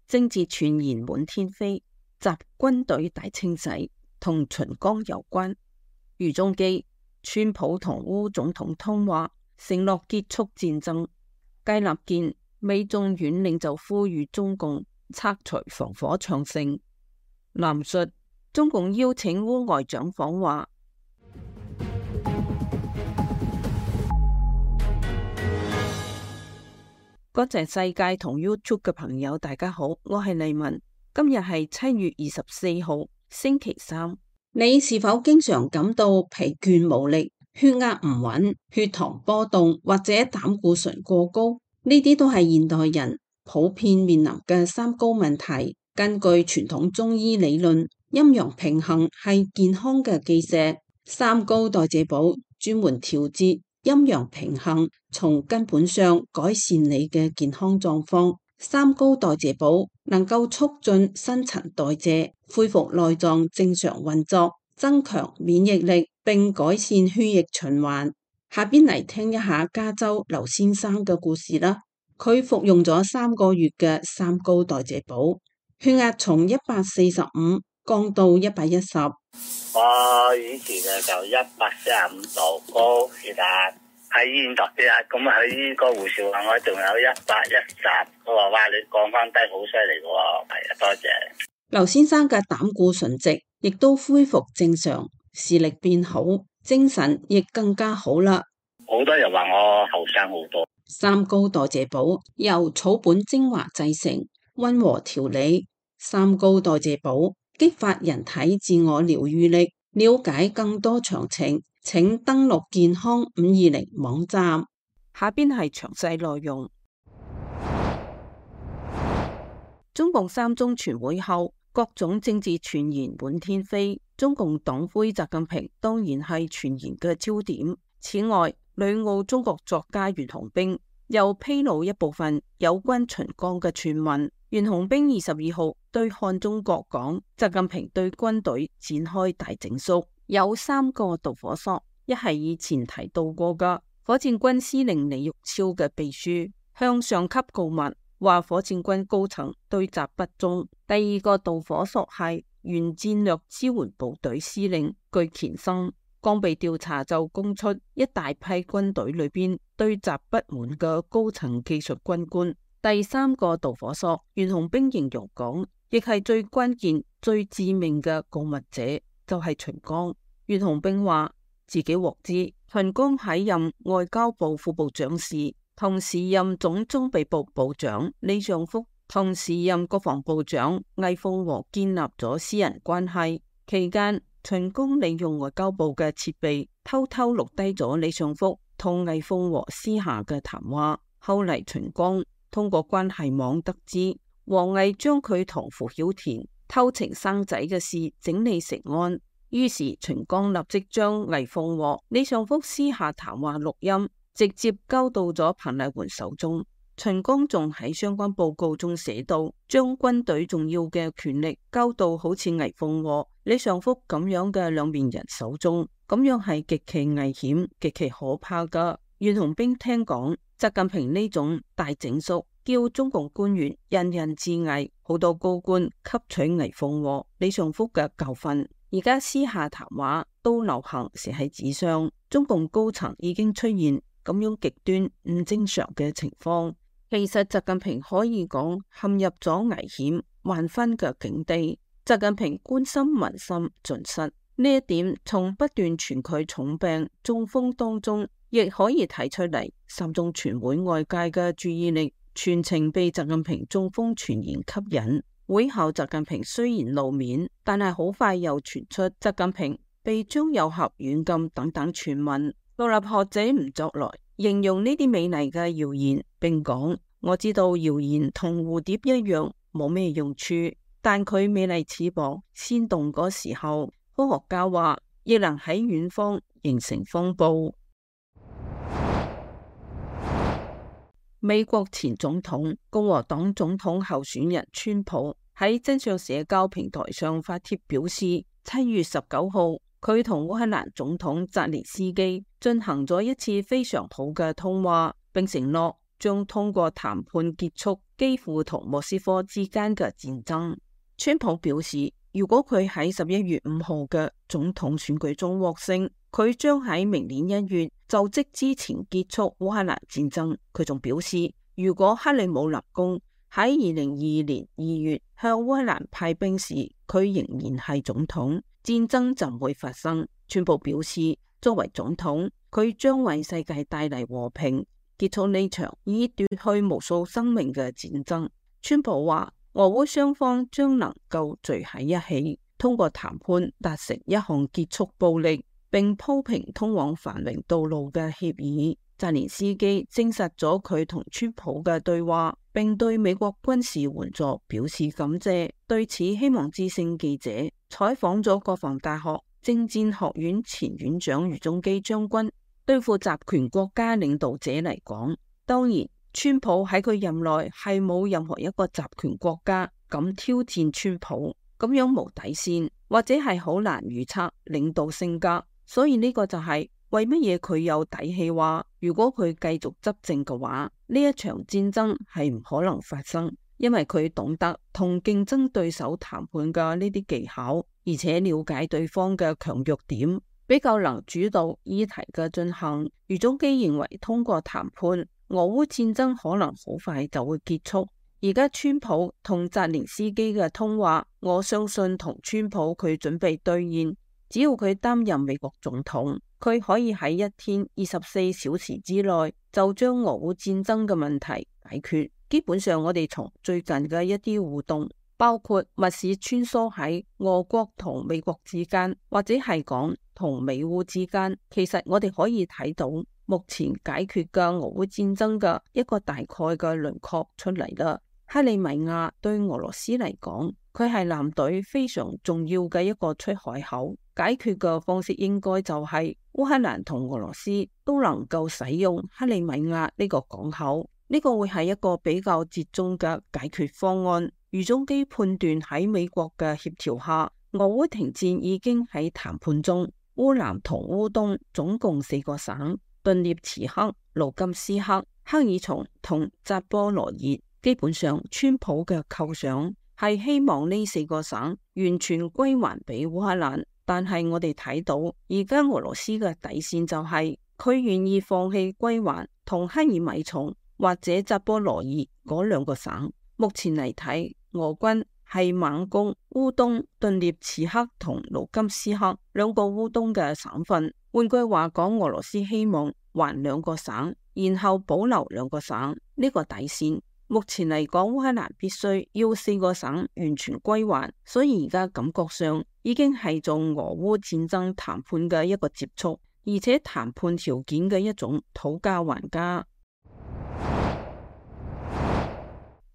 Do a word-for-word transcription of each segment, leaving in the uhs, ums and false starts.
政治傳言滿天飛，習軍隊大清洗同秦剛有關。余中基，川普同烏總統通話，承諾結束戰爭。佳立堅，美眾院領袖呼籲中共拆除防火長城。藍述，中共邀請烏外長訪華。國際世界同 YouTube 嘅朋友大家好，我係麗文。今日係七月二十四號，星期三。你是否經常感到疲倦無力、血壓唔穩、血糖波動或者膽固醇過高？呢啲都係現代人普遍面臨嘅三高問題。根據傳統中醫理論，陰陽平衡係健康嘅基石。三高代謝寶專門調節陰陽平衡，從根本上改善你嘅健康狀況。三高代謝寶能夠促進新陳代謝，恢復內臟正常運作，增強免疫力，並改善血液循環。下邊嚟聽一下加州劉先生嘅故事啦。佢服用咗三個月嘅三高代謝寶，血壓從一百四十五降到一百一十。我以前啊就一百四十五度高血壓，喺醫院度血壓，咁啊喺個護士話我仲有一百一十，佢話哇你降翻低好犀利嘅喎，係啊，多謝。劉先生嘅膽固醇值亦都恢復正常，視力變好，精神亦更加好啦。好多人話我後生好多。三高代謝寶由草本精華製成，溫和調理。三高代謝寶激發人體自我療癒力。了解更多詳情，請登錄健康五二零網站。下邊係詳細內容。中共三中全會後，各種政治傳言滿天飛，中共黨魁習近平當然係傳言嘅焦點。此外，旅澳中國作家袁弘冰又披露一部分有關秦剛嘅傳聞。袁弘冰二十二號對漢中國講，習近平對軍隊展開大整肅，有三個導火索。一係以前提到過嘅火箭軍司令李玉超嘅秘書向上級告密，話火箭軍高層對習不忠。第二個導火索係原戰略支援部隊司令巨乾生剛被調查就供出一大批軍隊裏邊對習不滿嘅高層技術軍官。第三個導火索，袁弘冰形容講，亦係最關鍵、最致命嘅告密者，就係秦剛。袁弘冰話自己獲知，秦剛喺任外交部副部長時，同時任總裝備部部長李尚福，同時任國防部長魏鳳和建立咗私人關係。期間，秦剛利用外交部嘅設備，偷偷錄低咗李尚福同魏鳳和私下嘅談話。後嚟秦剛通過關係網得知，王毅將佢同傅曉田偷情生仔嘅事整理成案，於是秦剛立即將魏鳳和李尚福私下談話錄音直接交到咗彭麗媛手中。秦剛仲喺相關報告中寫到，將軍隊重要嘅權力交到好似魏鳳和、李尚福咁樣嘅兩面人手中，咁樣係極其危險、極其可怕噶。袁弘冰聽講，習近平呢種大整肅，叫中共官員人人自危，好多高官吸取魏鳳和、李尚福嘅教訓，而家私下談話都流行寫喺紙上。中共高層已經出現咁樣極端唔正常嘅情況。其實習近平可以講陷入咗危險萬分嘅境地。習近平關心民心盡失，呢一點從不斷傳佢重病中風當中亦可以睇出嚟。三中全會外界嘅注意力全程被習近平中風傳言吸引。會後習近平雖然露面，但係好快又傳出習近平被張又俠軟禁等等傳聞。獨立學者吳作來形容呢啲美麗嘅謠言，並講：我知道謠言同蝴蝶一樣冇咩用處，但佢美麗翅膀先動嗰時候，科學家話亦能喺遠方形成風暴。美國前總統、共和黨總統候選人川普喺真相社交平台上發帖表示，七月十九號佢同烏克蘭總統澤連斯基進行咗一次非常好嘅通話，並承諾將通過談判結束基輔同莫斯科之間嘅戰爭。川普表示，如果佢喺十一月五號嘅總統選舉中獲勝，佢將喺明年一月就職之前結束烏克蘭戰爭。佢仲表示，如果克里姆林宮喺二零二二年二月向烏克蘭派兵時，佢仍然係總統，戰爭就唔會發生。川普表示，作為總統，佢將為世界帶嚟和平，結束呢場已奪去無數生命嘅戰爭。川普話，俄烏雙方將能夠聚喺一起，通過談判達成一項結束暴力並鋪平通往繁榮道路嘅協議。澤連斯基證實咗佢同川普嘅對話，並對美國軍事援助表示感謝。對此，希望之聲記者採訪咗國防大學政戰學院前院長余宗基將軍。對付集權國家領導者嚟講，當然川普喺佢任內係冇任何一個集權國家敢挑戰川普，咁樣無底線或者係好難預測領導性格。所以呢個就係為乜嘢佢有底氣話，如果佢繼續執政嘅話，呢一場戰爭係唔可能發生，因為佢懂得同競爭對手談判嘅呢啲技巧，而且了解對方嘅強弱點，比較能主導議題嘅進行。余宗基認為，通過談判，俄烏戰爭可能好快就會結束。而家川普同澤連斯基嘅通話，我相信同川普佢準備兌現。只要佢擔任美國總統，佢可以喺一天二十四小時之內就將俄烏戰爭嘅問題解決。基本上，我哋從最近嘅一啲互動，包括密使穿梭喺俄國同美國之間，或者係講同美烏之間，其實我哋可以睇到目前解決嘅俄烏戰爭嘅一個大概嘅輪廓出嚟啦。克里米亞對俄羅斯嚟講，佢係艦隊非常重要嘅一個出海口。解決嘅方式應該就係烏克蘭同俄羅斯都能夠使用克里米亞呢個港口，呢個會係一個比較折中嘅解決方案。余宗基判斷喺美國嘅協調下，俄烏停戰已經喺談判中。烏南同烏東總共四個省，頓涅茨克、盧甘斯克、克爾松同扎波羅熱，基本上川普嘅構想係希望呢四個省完全歸還俾烏克蘭。但係我哋睇到而家俄羅斯嘅底線就係佢願意放棄歸還同克爾米松或者扎波羅熱嗰兩個省。目前嚟睇，俄軍係猛攻烏東、頓涅茨克同盧甘斯克兩個烏東嘅省份。換句話講，俄羅斯希望還兩個省，然後保留兩個省，呢個底線。目前嚟講，烏克蘭必須要四個省完全歸還，所以而家感覺上已經係做俄烏戰爭談判嘅一個接觸，而且談判條件嘅一種討價還價。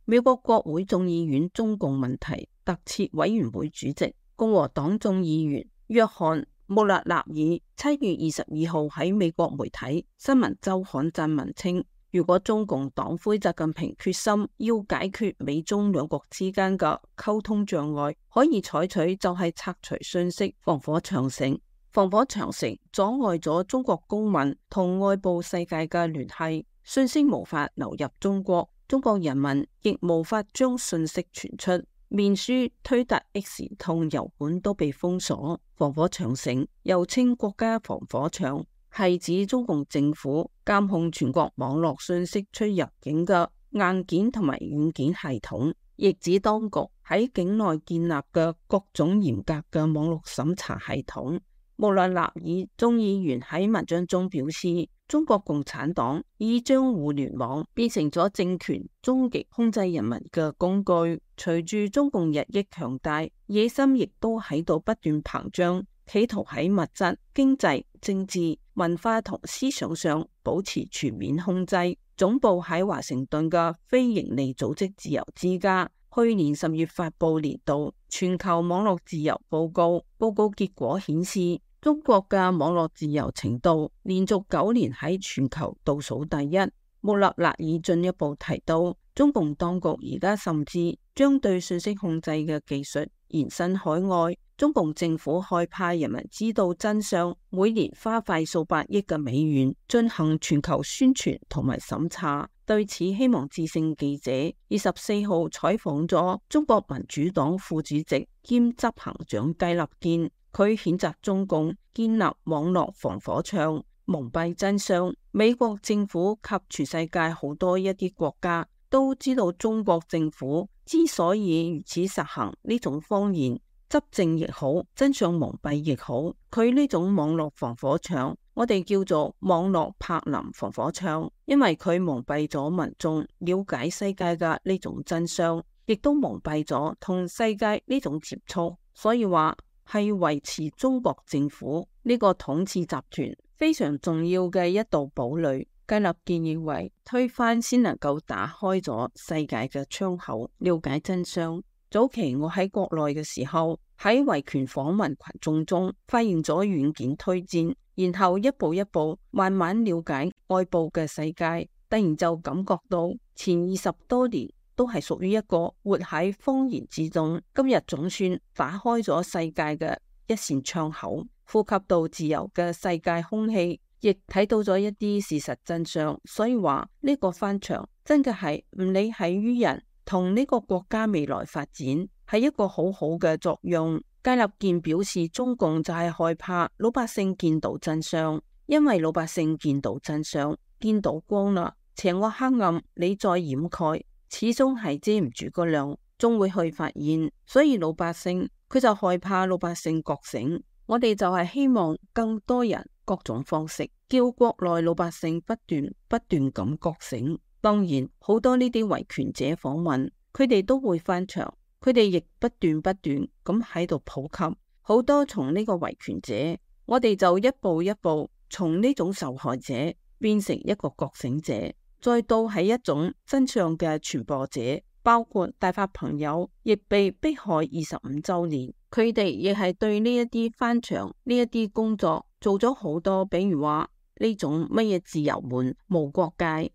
美國國會眾議院中共問題特設委員會主席共和黨眾議員約翰穆勒納爾七月二十二號喺美國媒體新聞週刊撰文稱，如果中共黨魁習近平決心要解決美中兩國之間嘅溝通障礙，可以採取就係拆除信息防火長城。防火長城阻礙咗中國公民同外部世界嘅聯繫，信息無法流入中國，中國人民亦無法將信息傳出，面書、推特、X 同油管都被封鎖。防火長城又稱國家防火牆，係指中共政府監控全國網絡信息出入境嘅硬件同埋軟件系統，亦指當局喺境內建立嘅各種嚴格嘅網絡審查系統。穆勒納爾眾議員喺文章中表示，中國共產黨已將互聯網變成咗政權終極控制人民嘅工具。隨住中共日益強大，野心亦都喺度不斷膨脹，企圖喺物質、經濟、政治、文化同思想上保持全面控制。總部喺華盛頓嘅非營利組織自由之家去年十月發布年度全球網絡自由報告，報告結果顯示，中國嘅網絡自由程度連續九年喺全球倒數第一。穆勒納爾進一步提到，中共當局而家甚至將對信息控制嘅技術延伸海外。中共政府害怕人民知道真相，每年花費數百億嘅美元進行全球宣傳同埋審查，對此，希望之聲記者二十四號採訪咗中國民主黨副主席兼執行長雞立堅，佢譴責中共建立網絡防火牆，蒙蔽真相。美國政府及全世界好多一啲國家都知道，中國政府之所以如此實行呢種謊言，執政亦好，真相蒙蔽亦好，佢呢種網絡防火牆，我哋叫做網絡柏林防火牆，因為佢蒙蔽咗民眾了解世界嘅呢種真相，亦都蒙蔽咗同世界呢種接觸，所以話係維持中國政府呢個統治集團非常重要嘅一道堡壘。雞立堅認為推翻先能夠打開咗世界嘅窗口，了解真相。早期我喺國內嘅時候，喺維權訪問群眾中發現咗軟件推薦，然後一步一步慢慢了解外部嘅世界，突然就感覺到前二十多年都係屬於一個活喺謊言之中，今日總算打開咗世界嘅一扇窗口，呼吸到自由嘅世界空氣，亦睇到咗一啲事實真相。所以話呢個翻牆真嘅係唔理係於人同呢個國家未來發展，係一個好好嘅作用。雞立堅表示，中共就係害怕老百姓見到真相，因為老百姓見到真相，見到光啦，邪惡黑暗你再掩蓋，始終係遮唔住個亮，終會去發現。所以老百姓佢就害怕老百姓覺醒。我哋就係希望更多人各種方式叫國內老百姓不斷不斷咁覺醒。當然好多呢啲維權者訪問，佢哋都會翻牆，佢哋亦不斷不斷咁喺度普及。好多從呢個維權者，我哋就一步一步從呢種受害者變成一個覺醒者，再到係一種真相嘅傳播者。包括大發朋友亦被迫害二十五周年，佢哋亦係對呢一啲翻牆呢一啲工作做咗好多，比如話呢種乜嘢自由門無國界。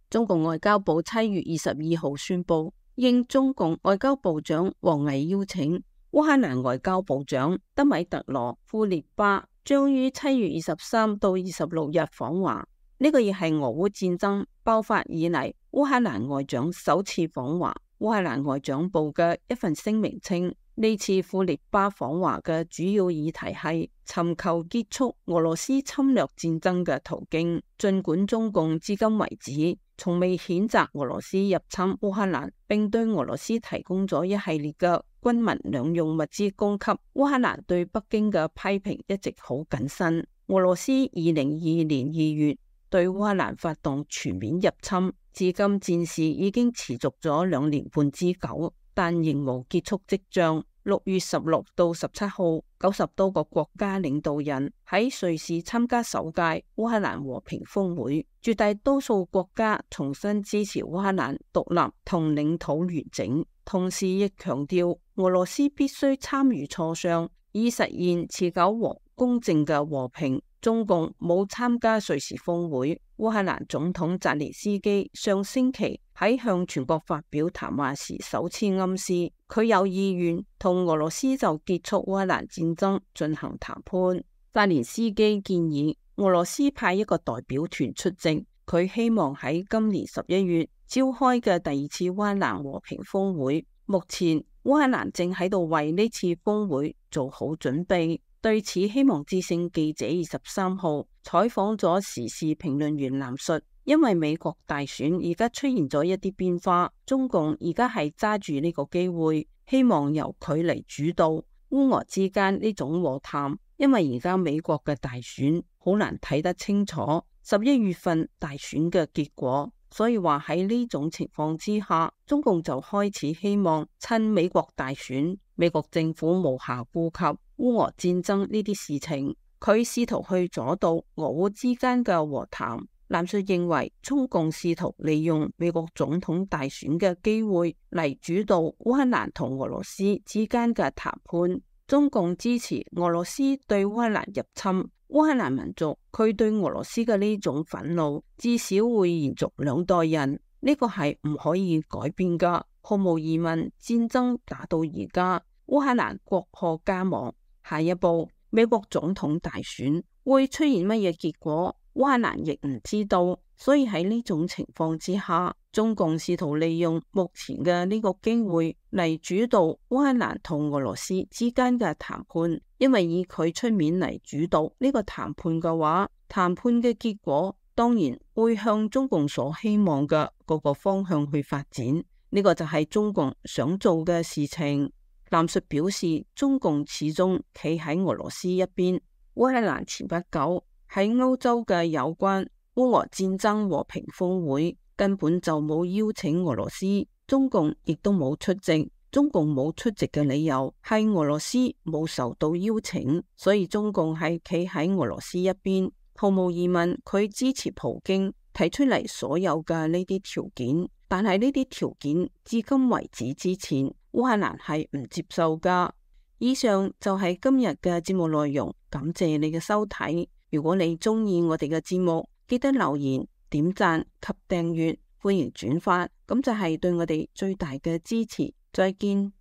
中共外交部七月二十二號宣布，應中共外交部長王毅邀請，烏克蘭外交部長德米特羅庫列巴將於七月二十三到二十六日訪華。呢個亦係俄烏戰爭爆發以嚟烏克蘭外長首次訪華。烏克蘭外長部嘅一份聲明稱，呢次庫列巴訪華嘅主要議題係尋求結束俄羅斯侵略戰爭嘅途徑。儘管中共至今為止從未譴責俄羅斯入侵烏克蘭，並對俄羅斯提供咗一系列嘅軍民兩用物資供給，烏克蘭對北京嘅批評一直好謹慎。俄羅斯二零二二年二月對烏克蘭發動全面入侵，至今戰事已經持續咗兩年半之久，但仍無結束跡象。六月十六到十七號，九十多個國家領導人喺瑞士參加首屆烏克蘭和平峰會，絕大多數國家重新支持烏克蘭獨立同領土完整，同時亦強調俄羅斯必須參與磋商，以實現持久和公正嘅和平。中共冇參加瑞士峰會。烏克蘭總統澤連斯基上星期喺向全國發表談話時首次暗示，佢有意願同俄羅斯就結束烏克蘭戰爭進行談判。澤連斯基建議俄羅斯派一個代表團出席，佢希望喺今年十一月召開嘅第二次烏克蘭和平峰會。目前烏克蘭正喺度為呢次峰會做好準備。對此，希望之聲記者二十三號採訪咗時事評論員藍述，因為美國大選而家出現咗一啲變化，中共而家係揸住呢個機會，希望由佢嚟主導烏俄之間呢種和談，因為而家美國嘅大選好難睇得清楚十一月份大選嘅結果，所以話喺呢種情況之下，中共就開始希望趁美國大選，美國政府無暇顧及烏俄戰爭呢啲事情，佢試圖去阻撓俄烏之間嘅和談。藍述認為，中共試圖利用美國總統大選嘅機會嚟主導烏克蘭同俄羅斯之間嘅談判。中共支持俄羅斯對烏克蘭入侵，烏克蘭民族佢對俄羅斯嘅呢種憤怒至少會延續兩代人，呢個係唔可以改變噶。毫無疑問，戰爭打到而家，烏克蘭國破家亡。下一步，美國總統大選會出現乜嘢結果？烏克蘭亦唔知道。所以喺呢種情況之下，中共試圖利用目前嘅呢個機會嚟主導烏克蘭同俄羅斯之間嘅談判，因為以佢出面嚟主導呢個談判嘅話，談判嘅結果當然會向中共所希望嘅嗰個方向去發展，呢個就係中共想做嘅事情。藍述表示，中共始終企喺俄羅斯一邊。烏克蘭前不久喺歐洲嘅有關烏俄戰爭和平峰會根本就冇邀請俄羅斯，中共亦都冇出席。中共冇出席嘅理由係俄羅斯冇受到邀請，所以中共係企喺俄羅斯一邊。毫無疑問，佢支持普京提出嚟所有嘅呢啲條件，但係呢啲條件至今為止之前，烏克蘭係唔接受噶。以上就係今日嘅節目內容，感謝你嘅收睇。如果你中意我哋嘅節目，記得留言、點讚及訂閱，歡迎轉發，咁就係對我哋最大嘅支持。再見。